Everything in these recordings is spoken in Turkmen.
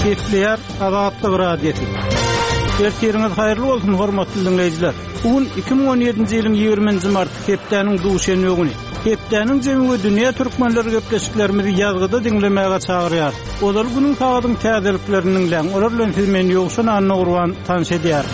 Gepleýär Azatlyk Radiosy. Ertiriňiz haýyrly bolsun, hormatly diňleýjiler! Bu gün 2017-nji ýylyň 20-nji marty, hepdäniň duşenbe güni. Hepdäniň jemi we dünýä türkmenleri gepleşiklerimizi ýazgyda diňlemäge çagyrýarys. Ozal günüň sagadyň täzeliklerini diňläň, olar bilen sizi men Ýowşan Annagurban tanyş edýärin.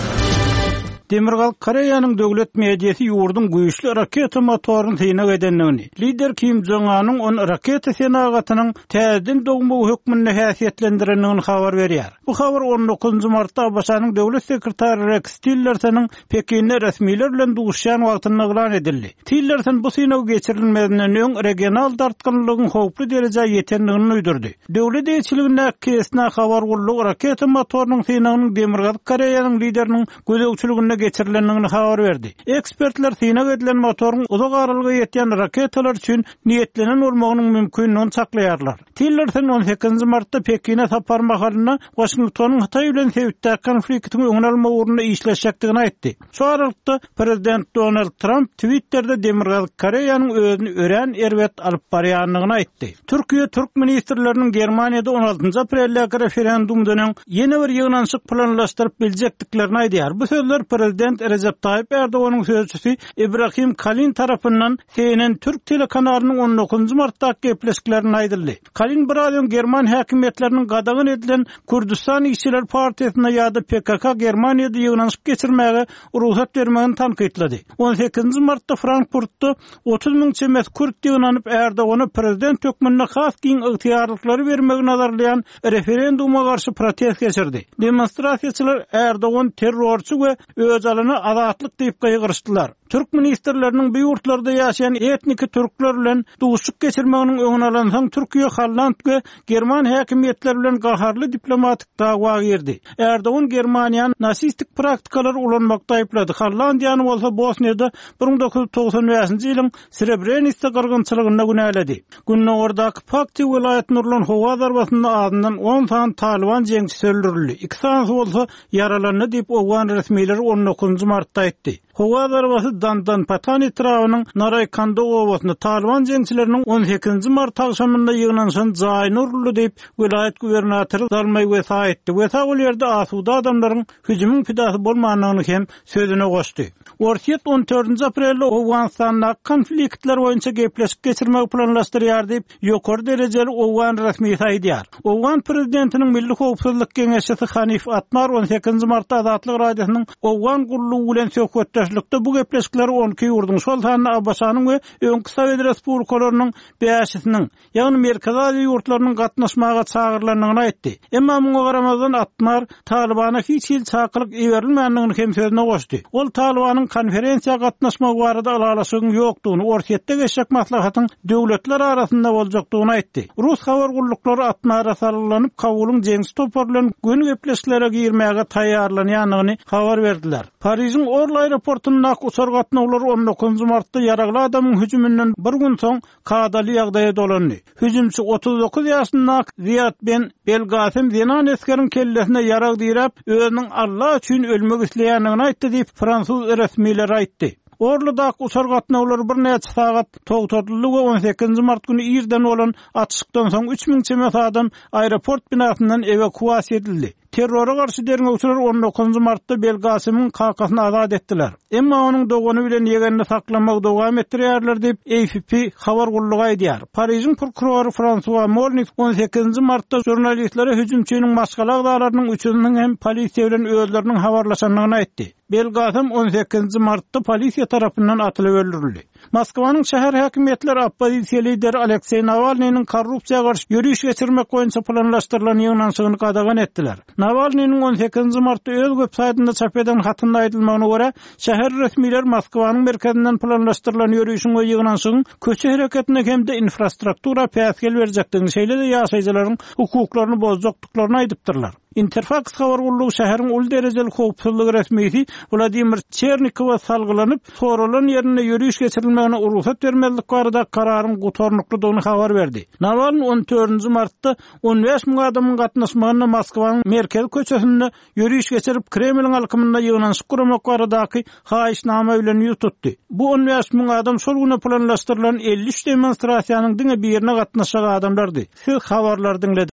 Demirgazyk Koreýanyň döwlet mediasy ýurduň güýçli raketa motoryny synag edendigini, lider Kim Jong Anyň ony raketa senagatynyň täzeden dogmagy hökmünde häsiýetlendirendigini habar berýär. Bu habar on dokuzynjy martda ABŞ-nyň döwlet sekretary Reks Tillersonyň Pekinde resmiler bilen duşuşýan wagtynda yglan edildi. Tillerson bu synag geçirilmezinden öň regional dartgynlylygyň howply derejä ýetendigini duýdurdy. Döwlet eýeçiligindäki KSNA habar gullugy raketa motorynyň synagynyň Demirgazyk Koreýanyň lideriniň gözegçiliginde geçirilendigini habar berdi. Ekspertler synag edilen motoryň uzak aralyga ýetýän raketalar üçin niýetlenen bolmagynyň mümkindigini çaklaýarlar. Tillerson on sekizinji martda Pekine sapary mahalynda Waşingtonyň Hytaý bilen sebitdäki konfliktiň öňüni almak ugrunda işleşjekdigini aýtdy. Şu aralykda, prezident Donald Tramp Twitterde Demirgazyk Koreýanyň özüni örän erbet alyp barýandygyny aýtdy. Türkiýe türk ministrleriniň Germaniýada on altynjy apreldäki referendumdan öň ýene bir ýygnanyşyk planlaşdyryp biljekdiklerini aýdýar. Bu sözler prezident Rejep Taýyp Erdoganyň sözçüsi Ibrahim Kalin tarapyndan CNN türk telekanalynyň on dokuzynjy martdaky gepleşiklerinde aýdyldy. Kalin biraz öň german häkimiýetleriniň gadagan edilen Kürdüstan işçiler partiýasyna ýa-da PKK Germaniýada ýygnanyşyk geçirmäge rugsat bermegini tankytlady. On sekizinji martda Frankfurtda 30 müň çemesi kürt ýygnanyp, Erdogana prezident hökmünde has giň ygtyýarlyklary bermegi nazarlaýan referenduma garşy protest geçirdi. Demonstrasiýaçylar Erdogan terrorçy we Öjalana azatlyk diýip gygyryşdylar. Türk ministrleriniň bu ýurtlarda ýaşaýan etniki türkler bilen duşuşyk geçirmeginiň öňüni alansoň Türkiýe holland we german häkimiýetleri bilen gaharly diplomatik dawa girdi. Erdogan Germaniýany nasistik praktikalary ulanmakda aýyplady, Hollandiýany bolsa Bosniýada 1995-nji ýylyň Srebrenitsa gyrgynçylygynda günäledi. Gündogardaky Pakti welaýatynda urlan howa zarbasynda azyndan on sany talyban jeňçisi öldürildi, iki sanysy bolsa ýaralandy diýip, owgan resmileri on dokuzynjy martda aýtdy. Howa zarbasy Dandanpatan etrabynyň Naraýkanda obasynda talyban jeňçileriniň on sekizinji mart agşamynda ýygnanyşan jaýyna uruldy diýip, welaýat gubernatory Zalmaý Wesa aýtdy. Wesa ol ýerde asuda adamlaryň hüjümiň pidasy bolmandygyny hem sözüne goşdy. Orsýet on dördünji aprelde Owganystandaky konfliktler boýunça gepleşik geçirmegi planlaşdyrýar diýip, ýokary derejeli owgan resmisi aýdýar. Owgan prezidentiniň Milli howpsuzlyk geňeşçisi Hanif Atmar on sekizinji martda Azatlyk Radiosynyň Owgan gullugy bilen söhbetdeşlikde bu gepleşikleri on iki ýurduň, şol sanda ABŞ-nyň we öňki sowet respublikalarynyň bäşisiniň, ýagny Merkezi Aziýa ýurtlarynyň gatnaşmaga çagyrylandygyny aýtdy. Emma muňa garamazdan Atmar Talybana hiç hili çakylyk iberilmändigini hem sözüne goşdy. Ol Talybanyň konferensiýa gatnaşmagy barada ylalaşygyň ýokdugyny, Orsýetde geçjek maslahatyň döwletler arasynda boljakdygyny aýtdy. Rus habar gulluklary Atmara salgylanyp, Kabulyň jeňçi topary bilen göni gepleşiklere girmäge taýýarlanýandygyny habar berdiler. Parižiň Orly aeroportundaky uçar gatnawlary on dokuzynjy martda ýaragly adamyň hüjüminden bir gün soň kadaly ýagdaýa dolandy. Hüjümçi 39 ýaşyndaky Ziýad Ben Belgasem zenan esgeriň kellesine ýarag diräp, özüniň Alla üçin ölmek isleýändigini aýtdy diýip, fransuz resmileri aýtdy. Orlydaky uçar gatnawlary birnäçe sagat togtadyldy we on sekizinji mart güni irden bolan atyşykdan soň 3000 çemesi adam aeroport binasyndan ewakuasiýa edildi. Terrora garşy derňewçiler on dokuzynjy martda Belgasymyň kakasyny azat etdiler. Emma onuň dogany bilen ýegenini saklamagy dowam etdirýärler diýip, AFP habar gullugy aýdýar. Parižiň prokurory Fransua Molnis on sekizinji martda žurnalistlere hüjümçiniň maşgala agzalarynyň üçüsiniň hem polisiýa bilen özleriniň habarlaşandygyny aýtdy. Belgasym on sekizinji martda polisiýa tarapyndan atylyp öldürildi. Moskwanyň şäher häkimiýetleri oppozisiýa lideri Alekseý Nawalnynyň korrupsiýa garşy ýöriş geçirmek boýunça planlaşdyrylan ýygnanyşygyny gadagan etdiler. Nawalnynyň on sekizinji martda öz websaýtynda çap eden hatynda aýdylmagyna görä, şäher resmileri Moskwanyň merkezinden planlaşdyrylan ýörişiň we ýygnanyşygyň köçe hereketine hem-de infrastruktura päsgel berjekdigini, şeýle-de ýaşaýjylaryň hukuklaryny bozjakdyklaryny aýdypdyrlar. Interfaks habar gullugy şäheriň uly derejeli howpsuzlyk resmisi Wladimir Çernikowa salgylanyp, soralan ýerinde ýöriş geçirilmegine rugsat bermezlik barada kararyň gutarnyklydygyny habar berdi. Nawalnyý on dördünji martda on bäş müň adamyň gatnaşmagynda Moskwanyň merkezi köçesinde ýöriş geçirip, Kremliň alkymynda ýygnanyşyk guramak baradaky haýyşnama bilen ýüz tutdy. Bu on bäş müň adam şol güne planlaşdyrylan 53 demonstrasiýanyň diňe birine gatnaşjak adamlardy. Siz habarlary diňlediňiz.